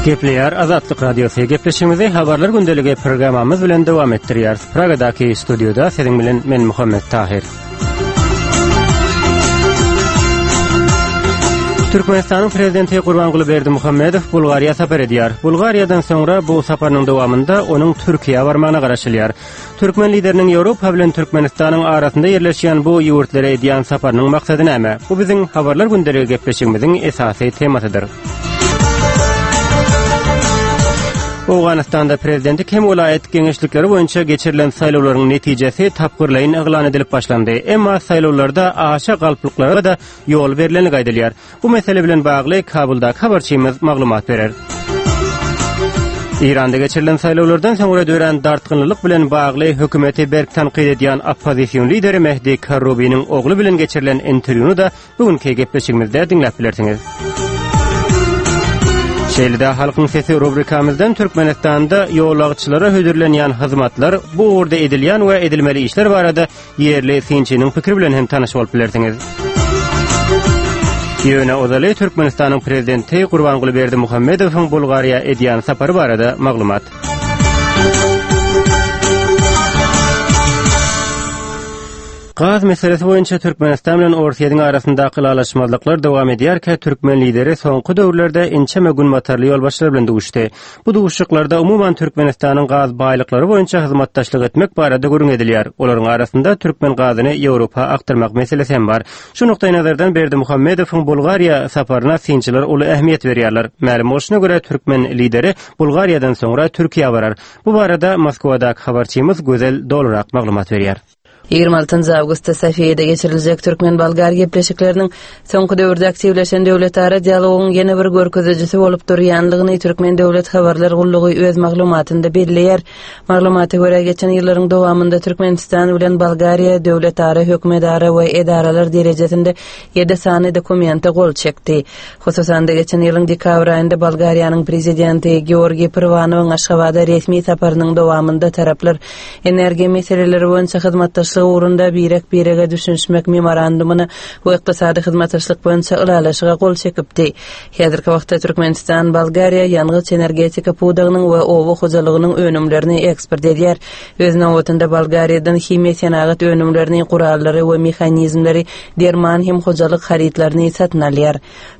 Gepleýär Azatlyk Radiosy. Gepleşigimizi Habarlar gündeligi programmamyz bilen dowam etdirýäris. Pragadaky studiýada siziň bilen men Muhammet Tahir. Türkmenistanyň prezidenti Gurbanguly Berdimuhamedow Bulgariýa sapar edýär. Bulgariýadan soňra bu saparynyň dowamynda onuň Türkiýä barmagyna garaşylýar. Türkmen lideriniň Ýewropa bilen Türkmenistanyň arasynda ýerleşýän bu ýurtlara edýän saparynyň maksady näme? Bu biziň Habarlar gündeligi gepleşigimiziň esasy temasydyr. Owganystanda prezidentlik hem welaýat geňeşlikleri boýunça geçirilen saýlawlaryň netijesi tapgyrlaýyn yglan edilip başlandy. Emma saýlawlarda aşa galplyklara-da ýol berlenligi aýdylýar. Bu mesele bilen bagly Kabuldaky habarçymyz maglumat berer. Eýranda geçirilen saýlawlardan soňra dörän dartgynlylyk bilen bagly hökümeti berk tankyt edýän oppozision lideri Mehdi Karrubiniň ogly bilen geçirilen interwýuny-da bu günki gepleşigimizde diňläp bilersiňiz. Şeýle-de Halkyň sesi rubrikamyzdan Türkmenistanda ýolagçylara hödürlenýän hyzmatlar, bu ugurda edilýän we edilmeli işler barada Ýerli synçynyň pikiri bilen hem tanyş bolup bilersiňiz. Ýöne ozaly Türkmenistanyň prezidenti Gurbanguly Berdimuhamedowyň Bulgariýa edýän sapary barada maglumat. Gaz meselesi boýunça Türkmenistan bilen Orsýetiň arasyndaky ylalaşmazlyklar dowam edýärkä, türkmen lideri soňky döwürlerde ençeme günbatarly ýolbaşçylar bilen duşdy. Bu duşuşyklarda umuman Türkmenistanyň gaz baýlyklary boýunça hyzmatdaşlyk etmek barada gürrüň edilýär. Olaryň arasynda türkmen gazyny Ýewropa akdyrmak meselesi hem bar. Şu nukdaýnazardan Berdimuhamedowyň Bulgariýa saparyna synçylar uly ähmiýet berýärler. Mälim bolşuna görä, türkmen lideri Bulgariýadan soňra Türkiýä barar. Bu barada Moskwadaky habarçymyz Gözel dolurak maglumat berýär. 26 awgustda Sofiýada geçiriljek türkmen-bolgar gepleşikleriniň soňky döwürde aktiwleşen döwletara dialogyň ýene bir görkezijisi bolup durýandygyny Türkmen döwlet habarlar gullugy öz maglumatynda belleýär. Maglumata görä, geçen ýyllaryň dowamynda Türkmenistan bilen Bolgariýa döwletara, hökümetara we edaralar derejesinde ýedi sany dokumente gol çekdi. Hususan-da, geçen ýylyň dekabr aýynda Bolgariýanyň Prezidenti Georgiý Pyrwanowyň Aşgabada resmi saparynyň dowamynda taraplar Energiýa meseleleri boýunça hyzmatdaşlyk ugrunda birek-birege düşünişmek Memorandumyna we ykdysady hyzmatdaşlyk boýunça Ylalaşyga gol çekipdi. Häzirki wagtda Türkmenistan Bolgariýa ýangyç-energetika pudagynyň we oba hojalygynyň önümlerini eksport edýär. Öz nobatynda Bolgariýadan himiýa senagat önümlerini, gurallary we mehanizmleri, derman hem hojalyk harytlaryny satyn alýar.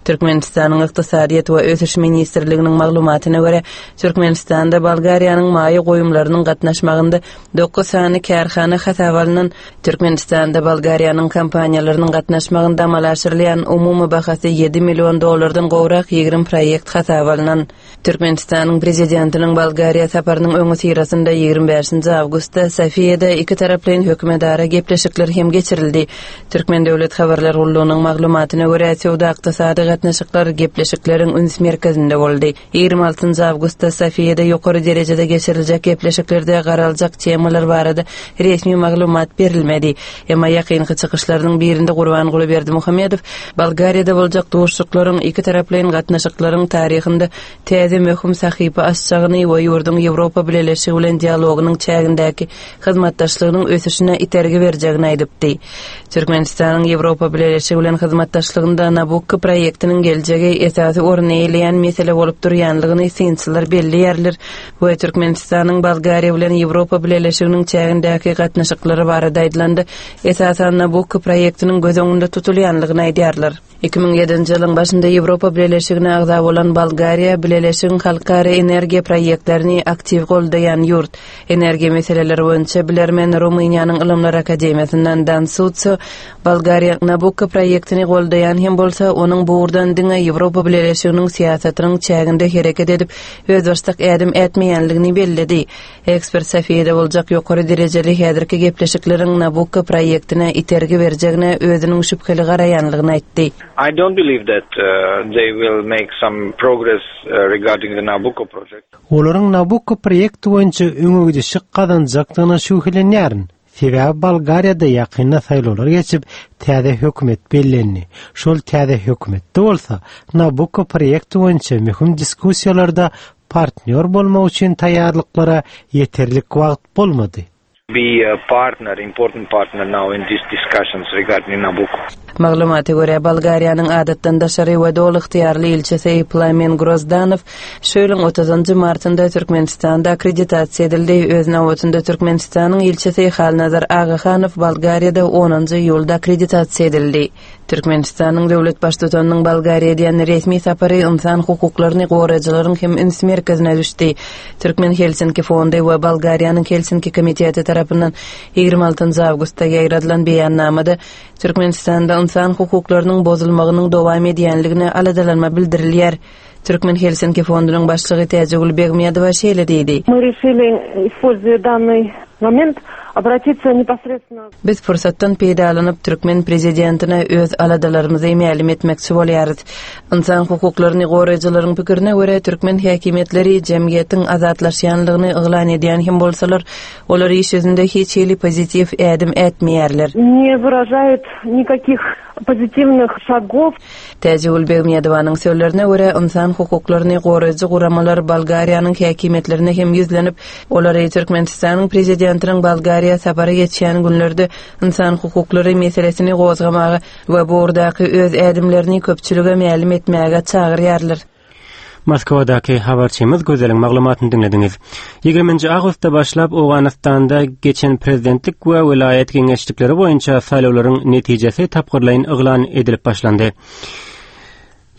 Türkmenistanyň Ykdysadyýet we ösüş ministrliginiň maglumatyna görä, Türkmenistanda Bolgariýanyň maýa goýumlarynyň gatnaşmagynda dokuz sany kärhana hasaba alnan. Türkmenistanda Bolgariýanyň kompaniýalarynyň gatnaşmagynda amala aşyrylýan umumy bahasy ýedi million dollardan gowrak 20 proýekt hasaba alnan. Türkmenistanyň Prezidentiniň Bolgariýa saparynyň öňüsyrasynda 25 awgustda Sofiýada ikitaraplaýyn hökümetara gepleşikler hem geçirildi. Türkmen döwlet habarlar gullugynyň maglumatyna görä, söwda-ykdysady gatnaşyklar gepleşikleriň üns merkezinde boldy. 26 awgustda Sofiýada ýokary derejede geçiriljek gepleşiklerde garaljak temalar barada resmi maglumat berilmedi. Emma ýakynky çykyşlarynyň birinde Gurbanguly Berdimuhamedow Bolgariýada boljak duşuşyklaryň ikitaraplaýyn gatnaşyklaryň taryhynda täze möhüm sahypa açjagyny we ýurduň Ýewropa Bileleşigi bilen dialogynyň çägindäki hyzmatdaşlygynyň ösüşine itergi berjegini aýdypdy. Türkmenistanyň Ýewropa Bileleşigi bilen hyzmatdaşlygynda Nabukko proýektiniň geljegi esasy orun eýeleýän mesele bolup durýanlygyny synçylar belleýärler we Türkmenistanyň Bolgariýa bilen Ýewropa Bileleşiginiň çägindäki gatnaşyklary barada aýdylanda, esasan Nabukko proýektiniň göz öňünde tutulýanlygyny aýdýarlar. 2007-nji ýylyň başynda Ýewropa Bileleşigine agza bolan Bolgariýa Bileleşigiň halkara energiýa proýektlerini aktiw goldaýan ýurt. Energiýa meseleleri boýunça bilermen Rumyniýanyň Ylymlar akademiýasyndan Dan Sutso Bolgariýa Nabukko proýektini goldaýan hem bolsa, onuň bu ugurdan diňe Ýewropa Bileleşiginiň syýasatynyň çäginde hereket edip, özbaşdak ädim ätmeýänligini belledi. Ekspert Sofiýada boljak ýokary derejeli häzirki gepleşikleriň Nabukko proýektine itergi berjegine özüniň şübheli garaýanlygyny aýtdy. I don't believe that they will make some progress regarding the Nabucco project. Olaryň Nabukko proýekti boýunça öňegidişlik gazanjakdygyna şübhelenýärin. Sebäbi Bolgariýada ýakynda saýlawlar geçip, täze hökümet bellendi. Şol täze hökümetde bolsa Nabukko proýekti boýunça möhüm diskussiýalarda partnýor bolmak üçin taýýarlyklara ýeterlik wagt bolmady. Be a partner, important partner now in these discussions regarding Nabucco. Maglumata görä, Bolgariýanyň adatdan daşary we doly ygtyýarly ilçisi Plamen Grozdanow şu ýylyň otuzynjy martynda Türkmenistanda akkreditasiýa edildi. Öz nobatynda Türkmenistanyň ilçisi Halnazar Agahanow Bolgariýada onunjy iýulda akkreditasiýa edildi. Türkmenistanyň döwlet Baştutanynyň Bolgariýa edýän resmi sapary ynsan hukuklaryny goraýjylaryň hem üns merkezine düşdi. Türkmen Helsinki fondy we Bolgariýanyň Helsinki komiteti tarapyndan 26 awgustda ýaýradylan beýannamada Türkmenistanda ynsan hukuklarynyň bozulmagynyň dowam edýänligine aladalanma bildirilýär. Türkmen Helsinki fondunyň başlygy Täjigül Begmedowa şeýle diýdi. Мы решили, используя данный момент, obratиться neposredstwenno. Biz pursatdan peýdalanyp, türkmen prezidentine öz aladalarymyzy mälim etmekçi bolýarys. Ynsan hukuklaryny goraýjylaryň pikirine görä, türkmen häkimiýetleri jemgyýetiň azatlaşýanlygyny yglan edýän hem bolsalar, olar iş ýüzünde hiç hili pozitiw ädim ätmeýärler. Ne wyražaýut nikakih pozitiwnych şagow. Täjigül Begmedowanyň sözlerine görä, ynsan hukuklaryny goraýjy guramalar Bolgariýanyň häkimiýetlerine hem ýüzlenip, olary Türkmenistanyň Prezidentiniň Bolgariýa sapary geçýän günlerde ynsan hukuklary meselesini gozgamaga we bu ugurdaky öz ädimlerini köpçülige mälim etmäge çagyrýarlar. Moskwadaky habarçymyz Gözeliň maglumatyny diňlediňiz. 20-nji awgustda başlap Owganystanda geçen prezidentlik we welaýat geňeşlikleri boýunça saýlawlaryň netijesi tapgyrlaýyn yglan edilip başlandy.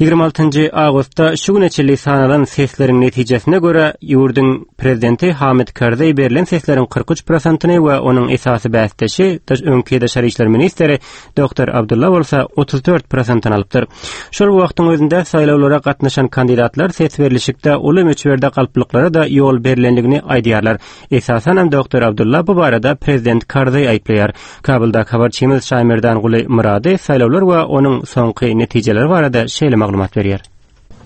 26-njy awgustda şu güne çenli sanalan sesleriň netijesine görä, ýurduň prezidenti Hamid Karzaý berlen sesleriň 43 prosentini we onuň esasy bäsdeşi, öňki daşary işler ministri Doktor Abdulla bolsa 34 prosentini alypdyr. Şol wagtyň özünde saýlawlara gatnaşan kandidatlar ses berlişikde uly möçberde galplyklara-da ýol berlendigini aýdýarlar. Esasanam doktor Abdulla bu barada prezident Karzaý aýyplaýar. Kabuldaky habarçymyz Şaýmerdanguly Myrady saýlawlar we onuň soňky netijeleri barada şeýle maglumat berýär.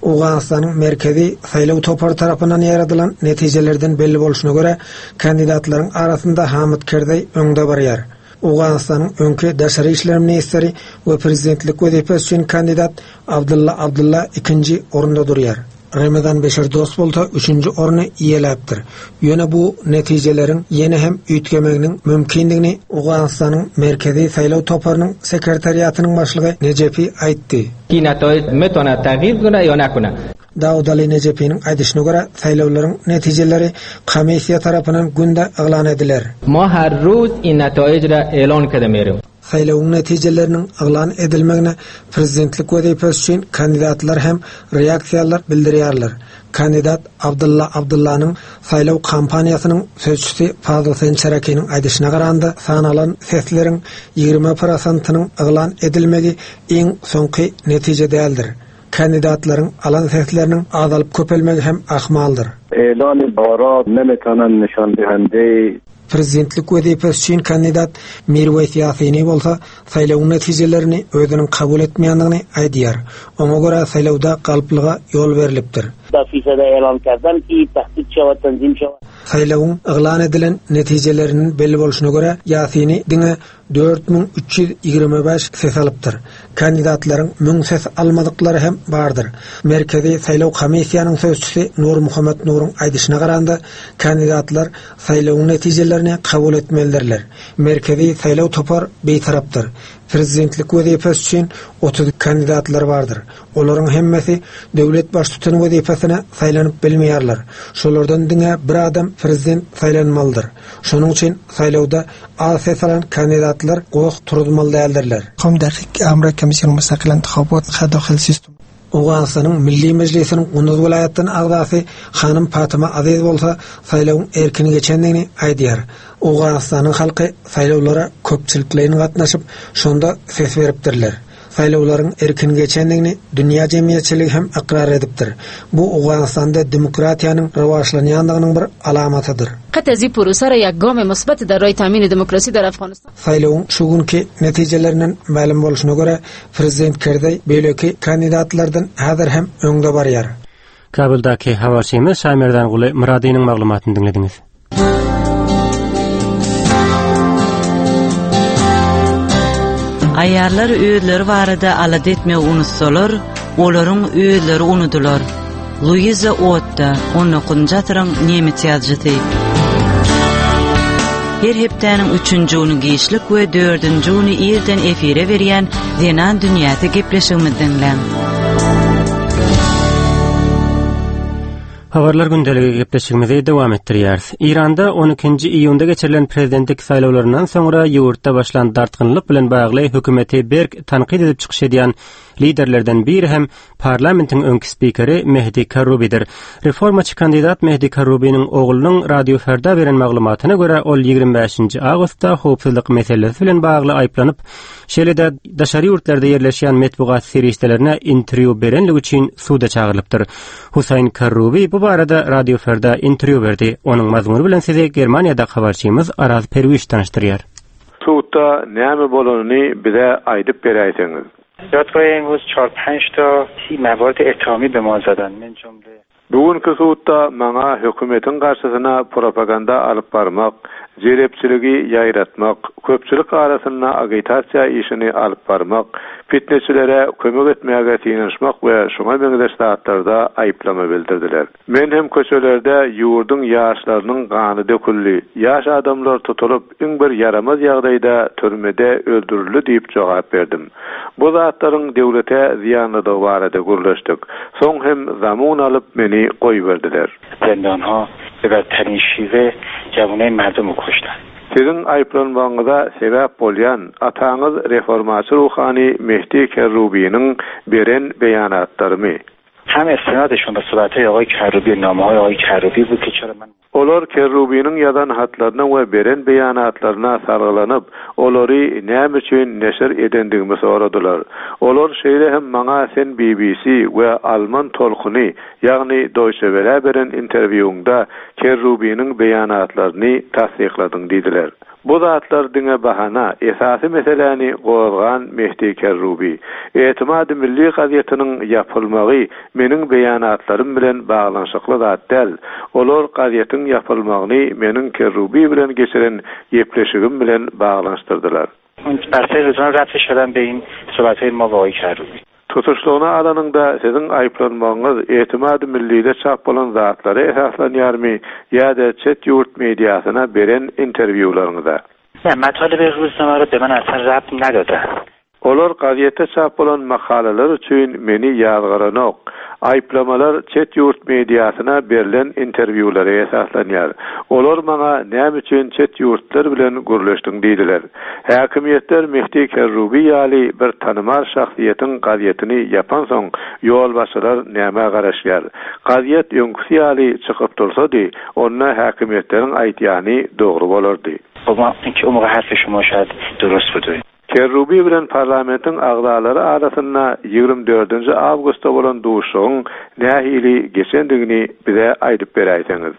Owganystanyň Merkezi saýlaw topary tarapyndan ýaýradylan netijelerden belli bolşuna görä, kandidatlaryň arasynda Hamid Kerzaý öňde barýar. Owganystanyň öňki daşary işler ministri we prezidentlik wezipesi üçin kandidat Abdylla Abdylla ikinji orunda durýar. Remezan Beşir Dost bolsa üçünji orny eýeläpdir. Ýöne bu netijeleriň ýene hem üýtgemeginiň mümkindigini Owganystanyň Merkezi saýlaw toparynyň sekretariatynyň başlygy Nejepi aýtdy. Dawudaly Nejepiniň aýdyşyna görä, saýlawlaryň netijeleri komissiýa tarapyndan günde yglan ediler. Saýlawyň netijeleriniň yglan edilmegine prezidentlik wezipesi üçin kandidatlar hem reaksiýalar bildirýärler. Kandidat Abdylla Abdyllanyň saýlaw kampaniýasynyň sözçüsi Fazl Sençerekiniň aýdyşyna garanda, sanalan sesleriň 20 prosentynyň yglan edilmegi iň soňky netije däldir. Kandidatlaryň alan sesleriniň azalyp-köpelmegi hem ahmaldyr. Prezidentlik wezipesi üçin kandidat Mirweýs Ýasini bolsa saýlawyň netijelerini özüniň kabul etmeýändigini aýdýar. Oňa görä saýlawda galplyga ýol berlipdir. Saýlawyň yglan edilen netijeleriniň belli bolşuna görä, Ýasini diňe 4325 ses alypdyr. Kandidatlaryň müň ses almadyklary hem bardyr. Merkezi saýlaw komissiýanyň sözçüsi Nurmuhammet Nuruň aýdyşyna garanda, kandidatlar saýlawyň netijelerini kabul etmelidirler. Merkezi saýlaw topar bitarapdyr. Prezidentlik wezipesi üçin 30 kandidatlar bardyr. Olaryň hemmesi döwlet baştutany wezipesine saýlanyp bilmeýärler. Şolardan diňe bir adam prezident saýlanmalydyr. Şonuň üçin saýlawda az ses alan kandidatlar goh turuzmaly däldirler. Owganystanyň Milli Mejlisiniň Gunduz welaýatdan agzasy hanym Fatima Aziz bolsa saýlawyň erkin geçendigini aýdýar. Owganystanyň halky saýlawlara köpçülikleýin gatnaşyp, şonda ses beripdirler. Saýlawlaryň erkin geçendigini dünýä jemgyýetçiligi hem ykrar edipdir. Bu Owganystanda demokratiýanyň rowaçlanýandygynyň bir alamatydyr. Saýlawyň şu günki netijelerinden mälim bolşuna görä, prezident Kerzaý beýleki kandidatlardan häzir hem öňde barýar. Kabuldaky habarçymyz Şaýmerdanguly Myradynyň maglumatyny diňlediňiz. Aýallar özleri barada alada etmegi unutsalar, olaryň özleri unudylar. Luiza Otta, 19-njy asyryň nemes ýazyjysy. Her hepdäniň üçünji güni giçlik we dördünji güni irden efire berýän Zenan dünýäsi gepleşigimizi diňläň. Habarlar gündeligi gepleşigimizi dowam etdirýäris. Eýranda 12-nji iýunda geçirilen prezidentlik saýlawlaryndan soňra ýurtda başlan dartgynlyk bilen bagly hökümeti berk tankyt edip çykyş edýän liderlerden biri hem parlamentiň öňki spikeri Mehdi Karrubidir. Reformaçy kandidat Mehdi Karrubiniň oglunyň Radio Ferda beren maglumatyna görä, ol 25-nji awgustda howpsuzlyk meselesi bilen bagly aýyplanyp, şeýle-de daşary ýurtlarda ýerleşýän metbugat serişdelerine interwýu berenligi üçin suda çagyrylypdyr. Husaýn Karrubi bu barada Radio Ferda interwýu berdi. Onuň mazmuny bilen sizi Germaniýadaky habarçymyz Araz Perwiş tanyşdyrýar. Sudda näme bolanyny bize aýdyp beräýseňiz. Dadgoh imruz çar-penç ta maward ettehami be ma zadan min jumle. Bu günki sudda maňa hökümetiň garşysyna propaganda alyp barmak, jelepçiligi ýaýratmak, köpçülik arasynda agitasiýa işini alyp barmak, pitneçilere kömek etmäge synanyşmak we şuňa meňzeş zatlarda aýyplama bildirdiler. Men hem köçelerde ýurduň ýaşlarynyň gany döküldi, ýaş adamlar tutulyp, iň bir ýaramaz ýagdaýda türmede öldürildi diýip jogap berdim. Bu zatlaryň döwlete zyýanlydygy barada gürleşdik. Soň hem zamun alyp meni goýberdiler. Zindanha be badtarin şiwe jawunay mardumu koştan. Siziň aýyplanmagyňyza sebäp bolýan ataňyz reformaçy ruhany Mehdi Kerrubiniň beren beýanatlarymy? Hem istinadişon be sohbethay agay Kerrubi namehay agay Kerrubi bud ke çera men Olar Kerrubiniň ýazan hatlaryna we beren beýanatlaryna salgylanyp, olary näme üçin neşir edendigimi soradylar. Olar şeýle hem maňa sen BBC we Alman tolkuny, ýagny Deutsche Welle beren interwýuňda Kerrubiniň beýanatlaryny tassykladyň diýdiler. Bu zatlar diňe bahana, esasy meseläni gozgan Mehdi Kerrubi. Etimady Milli gazetiniň ýapylmagy meniň beýanatlarym bilen baglanyşykly zat däl. Olar gazetiň ýapylmagyny meniň Kerrubi bilen geçiren gepleşigim bilen baglanyşdyrdylar. Tutuşlygyna alanyňda, siziň aýyplanmagyňyz Etimady Millide çap bolan zatlara esaslanýarmy ýa-da çet ýurt mediasyna beren interwýularyňyza? Ne, matalebe ruznamara be men aslan rabt nadodan. Olar gazetde çap bolan makalalar üçin meni ýazgaranok. Aýyplamalar çet ýurt mediasyna berlen interwýulara esaslanýar. Olar maňa näme üçin çet ýurtlar bilen gürleşdiň diýdiler. Häkimiýetler Mehdi Kerrubi ýaly bir tanymal şahsyýetiň gazetini ýapansoň, ýolbaşçylar nämä garaşýar? Gazet öňküsi ýaly çykyp dursady, onda häkimiýetleriň aýdýany dogry bolardy. Kerrubi bilen parlamentiň agzalary arasynda 24-nji awgustda bolan duşuşygyň nähili geçendigini bize aýdyp beräýseňiz.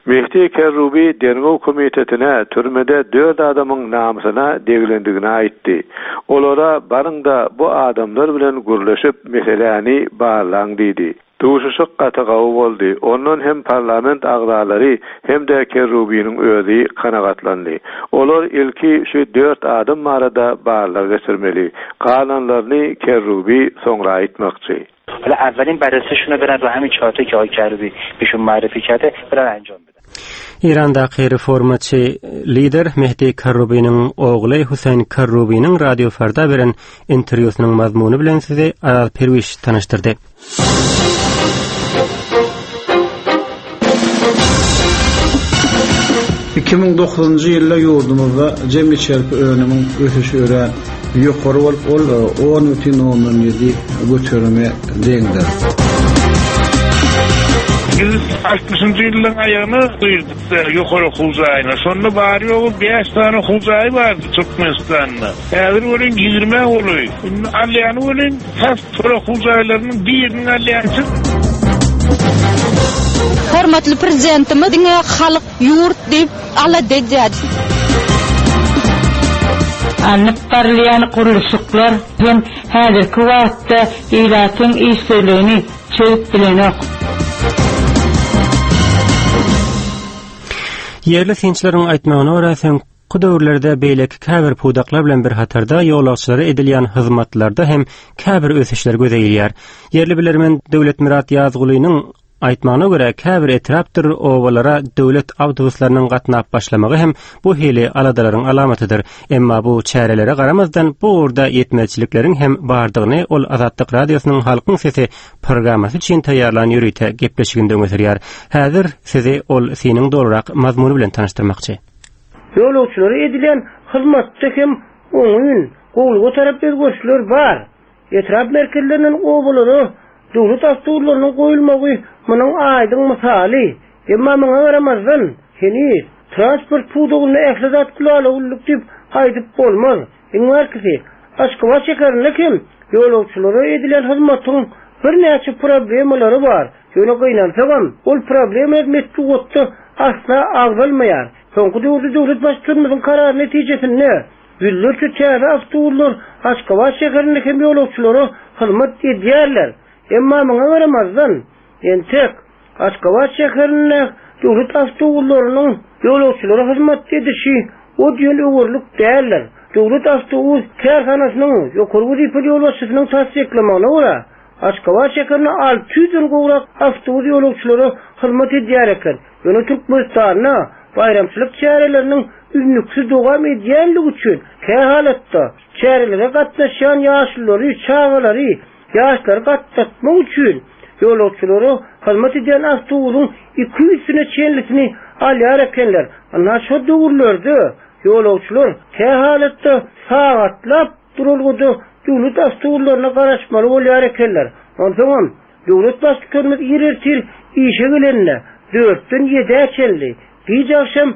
Mehdi Kerrubi Derňew komitetine türmede dört adamyň namysyna degilendigini aýtdy. Olara baryň-da bu adamlar bilen gürleşip meseläni barlaň diýdi. Duşuşyk gaty gawy boldy. Ondan hem parlament agzalary hem-de Kerrubiniň özi kanagatlandy. Olar ilki şu dört adam barada barlag geçirmeli. Galanlaryny Kerrubi soňra aýtmakçy. Eýrandaky reformaçy lider Mehdi Karrubiniň ogly Huseýn Karrubiniň Radio Farda beren interwýusynyň mazmuny bilen sizi Araz Perwiş tanyşdyrdy. 2009-njy ýylda ýurdumyzda jemi içerki önümiň ösüşi örän ýokary bolup, ol 10,7 göterime deňdir. Biz altmyşynjy ýyllaryň aýagyna girdik ýokary okuw jaýyna. Şonda bary-ýogy bäş sany okuw jaýy bardy Türkmenistanda. Häzir welin ýigrimä golaý. Indi alýany welin tas şol okuw jaýlarynyň biriniň alýançy. Hormatly Prezidentimiz diňe halk, ýurt diýip alada edýär. Alnyp barylýan gurluşyklar hem häzirki wagtda ilatyň işsizligini çözüp bilenok. Ýerli synçylaryň aýtmagyna görä, soňky döwürlerde beýleki käbir pudaklar bilen bir hatarda ýolagçylara edilýän hyzmatlarda hem käbir ösüşler göze ilýär. Ýerli bilermen Döwletmyrat Ýazgulynyň. Aýtmagyna görä, käbir etrapdyr obalara döwlet awtobuslarynyň gatnap başlamagy hem bu hili aladalaryň alamatydyr. Emma bu çärelere garamazdan, bu ugurda ýetmezçilikleriň hem bardygyny ol Azatlyk Radiosynyň Halkyň sesi programmasy üçin taýýarlan ýörite gepleşiginde öňe sürýär. Häzir sizi ol synyň dolurak mazmuny bilen tanyşdyrmakçy. Ýolagçylara edilýän hyzmatda hem oňyn, gowulyga tarap özgerişler bar. Etrap merkezlerinden obalara döwlet awtoularynyň goýulmagy munuň aýdyň mysaly. Emma muňa garamazdan, heniz transport pudagynda ähli zat gülala-güllük diýip aýdyp bolmaz. Iň bärkisi, Aşgabat şäherinde hem ýolagçylara edilýän hyzmatyň birnäçe problemalary bar. Ýöne gynansagam, ol problemalar metbugatda asla agzalmaýar. Soňky döwürde döwlet Baştutanymyzyň karary netijesinde ýüzlerçe täze awtoulaglar Aşgabat şäherinde hem ýolagçylara hyzmat edýärler. Emma muňa garamazdan, entek Aşgabat şäherinde döwlet awtoulaglarynyň ýolagçylara hyzmat edişi o diýen öwerlik däldir. Döwlet awtobus kärhanasynyň ýokary wezipeli ýolbaşçysynyň tassyklamagyna görä, Aşgabat şäherinde 600-den gowrak awtobus ýolagçylara hyzmat edýär eken. Ýöne Türkmenistanda baýramçylyk çäreleriniň üznüksiz dowam edýänligi üçin kähalatda çärelere gatnaşýan ýaşululary, çagalary, ýaşlary gatnatmak üçin ýolagçylara hyzmat edýän awtobusyň 200-sine çenlisini alýar ekenler. Ynha şo döwürlerde ýolagçylar kähalatda sagatlap duralgada döwlet awtobuslaryna garaşmaly bolýar ekenler. Onsoňam Döwlet Baştutanymyz ir ertir işe gelende dörtden ýedä çenli, giç agşam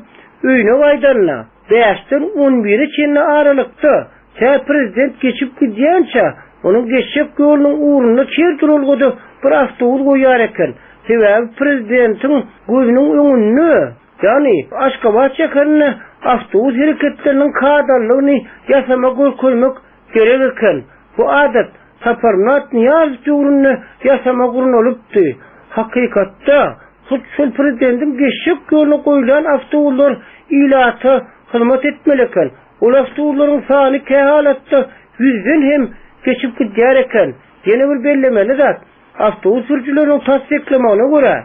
öýüne gaýdanda bäşden on bire çenli aralykda, tä prezident geçip gidýänçä, onuň geçjek ýolunyň ugrunda her duralgada bir awtobus goýýar eken. Sebäbi prezidentiň gözüniň öňünde, ýagny Aşgabat şäherinde awtobus hereketleriniň kadalylygyny ýasama görkezmek gerek eken. Bu adat Saparmyrat Nyýazow döwründe ýasama gurnalypdy. Hakykatda, hut şol prezidentiň geçjek ýoluna goýlan awtobuslar ilata hyzmat etmeli eken. Ol awtobuslaryň sany kähalatda ýüzden hem geçip gidýär eken. Ýene bir bellemeli zat, Awtobus sürüjileriniň tassyklamagyna görä,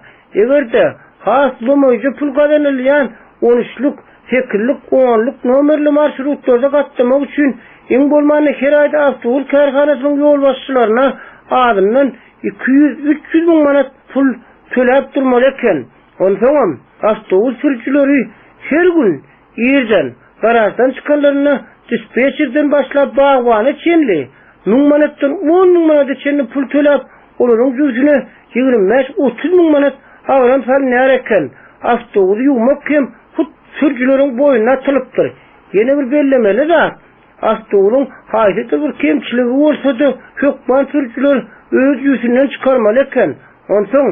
eger-de has lomaýja pul gazanylýan on üçlük, sekizlik, onluk nomerli marşrutlarda gatnamak üçin iň bolmanda her aýda awtobus kärhanasynyň ýolbaşçylaryna azyndan 200-300 müň manat pul töläp durmaly eken. Onsoňam, awtobus sürüjileri her gün irden garaždan çykanlarynda dispetçerden başlap bagbana çenli müň manatdan on müň manada çenli pul töläp, olaryň jübüsine 25-30 müň manat agram salynýar eken. Awtobusy ýuwmak hem hut sürüjileriň boýnuna atylypdyr. Ýene bir bellemeli zat, awtobusyň haýsydyr bir kemçiligi bolsa-da, hökman sürüjiler öz jübüsinden çykarmaly eken. Onsoň,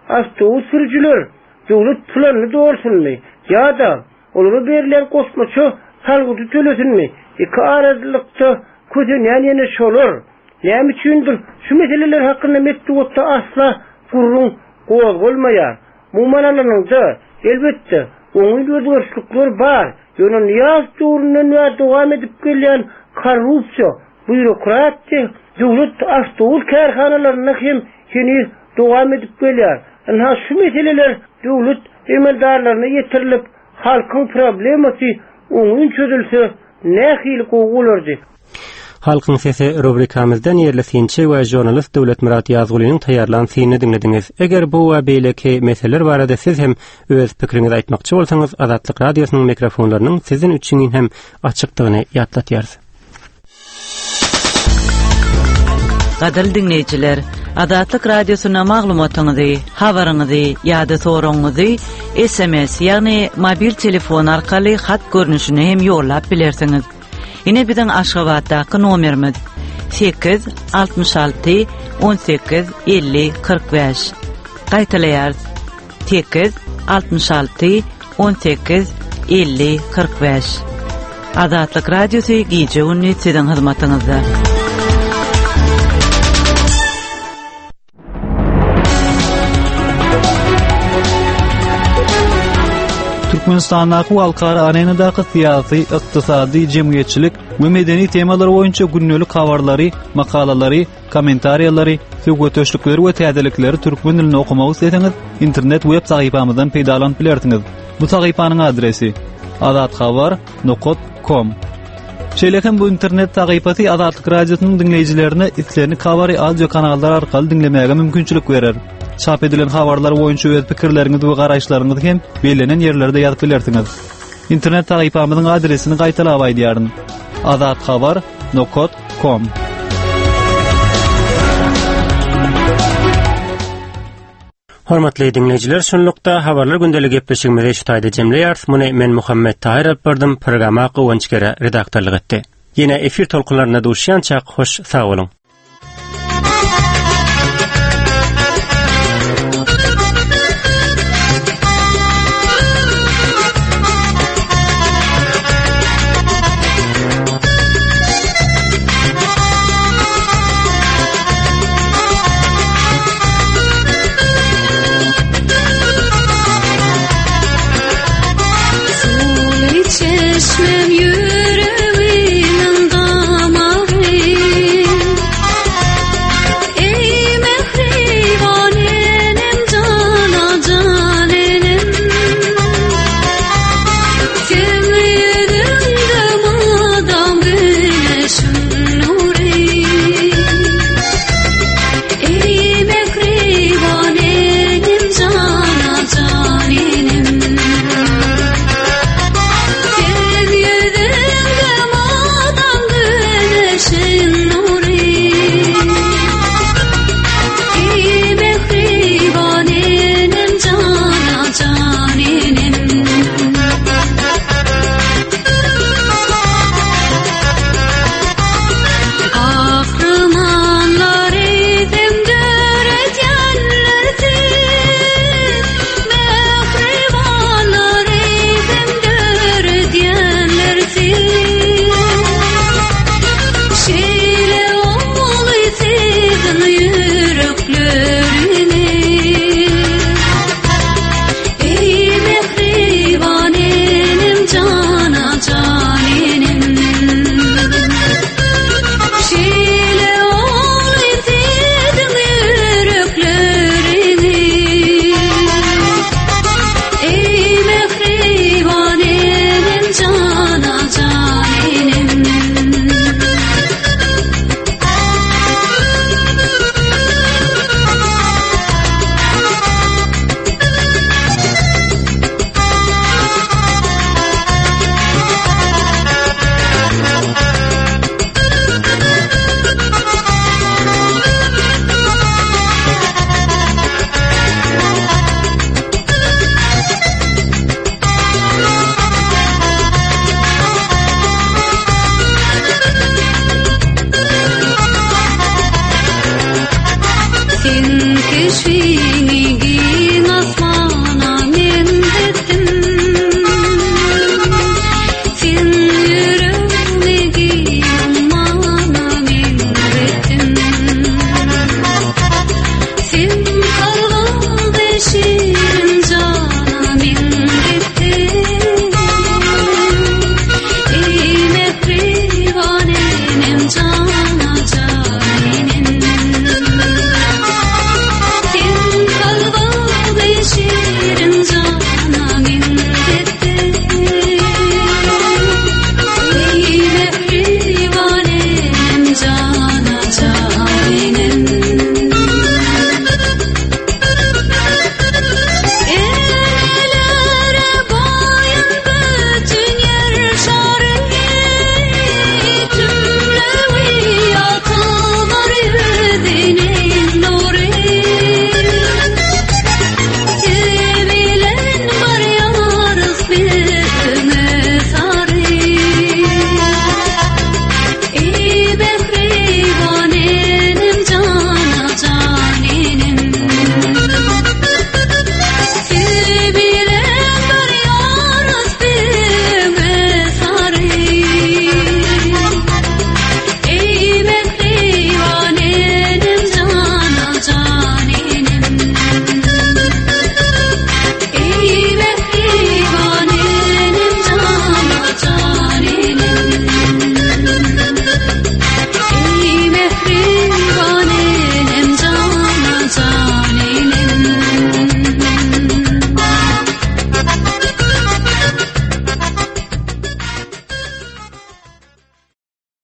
awtobus sürüjiler döwlet planyny dolsunmy ýa-da olara berilýän goşmaça salgydy tölesinmi, iki aralykda kösenýän ýene şolar. Näme üçindir, şu meseleler hakynda metbugatda asla gürrüň gozgalmaýar. Umuman alanyňda, elbetde, oňyn özgerişlikler bar, ýöne Nyýazow döwründen bäri dowam edip gelýän korrupsiýa, býurokratiýa döwlet awtobus kärhanalarynda hem heniz dowam edip gelýär. Ynha, şu meseleler döwlet emeldarlaryna ýetirilip, halkyň problemasy oňyn çözülse nähili gowy bolardy. Halkyň sesi rubrikamyzdan ýerli synçy we žurnalist Döwletmyrat Ýazgulynyň taýýarlan synyny diňlediňiz. Eger bu we beýleki meseleler barada siz hem öz pikiriňizi aýtmakçy bolsaňyz, Azatlyk Radiosynyň mikrofonlarynyň siziň üçin hem açykdygyny ýatlatýarys. Gadyrly diňleýjiler, Azatlyk Radiosyna maglumatyňyzy, habaryňyzy ýa-da soragyňyzy SMS, ýagny mobil telefon arkaly hat görnüşinde hem ýollap bilersiňiz. Ine biziň Aşgabatdaky nomerimiz 8 66 18 50 45. Gaýtalaýarys. 8 66 18 50 45. Azatlyk Radiosy gije-gündiz siziň hyzmatyňyzda. Türkmenistandaky we halkara arenadaky syýasy, ykdysady, jemgyýetçilik we medeni temalar boýunça gündelik habarlary, makalalary, kommentariýalary, söhbetdeşlikleri we täzelikleri türkmen dilinde okamak isleseňiz, internet web sahypamyzdan peýdalanyp bilersiňiz. Bu sahypanyň adresi: azathabar nokat kom. Şeýle hem bu internet sahypasy Azatlyk Radiosynyň diňleýjilerine islendik habary audio kanallar arkaly diňlemäge mümkinçilik berer. Çap edilen habarlar boýunça öz pikirleriňizi we garaýyşlaryňyzy hem bellenen ýerlerde ýazyp bilersiňiz. Internet sahypamyzyň adresini gaýtalap aýdýaryn. Azathabar nokat kom. Hormatly diňleýjiler, şunlukda Habarlar gündeli gepleşigimizi şu taýda jemleýäris. Muny men Muhammet Tahyr alyp bardym, programa Guwanç Gere redaktorlyk etdi. Ýene efir tolkunlarynda duşýançak hoş sag boluň.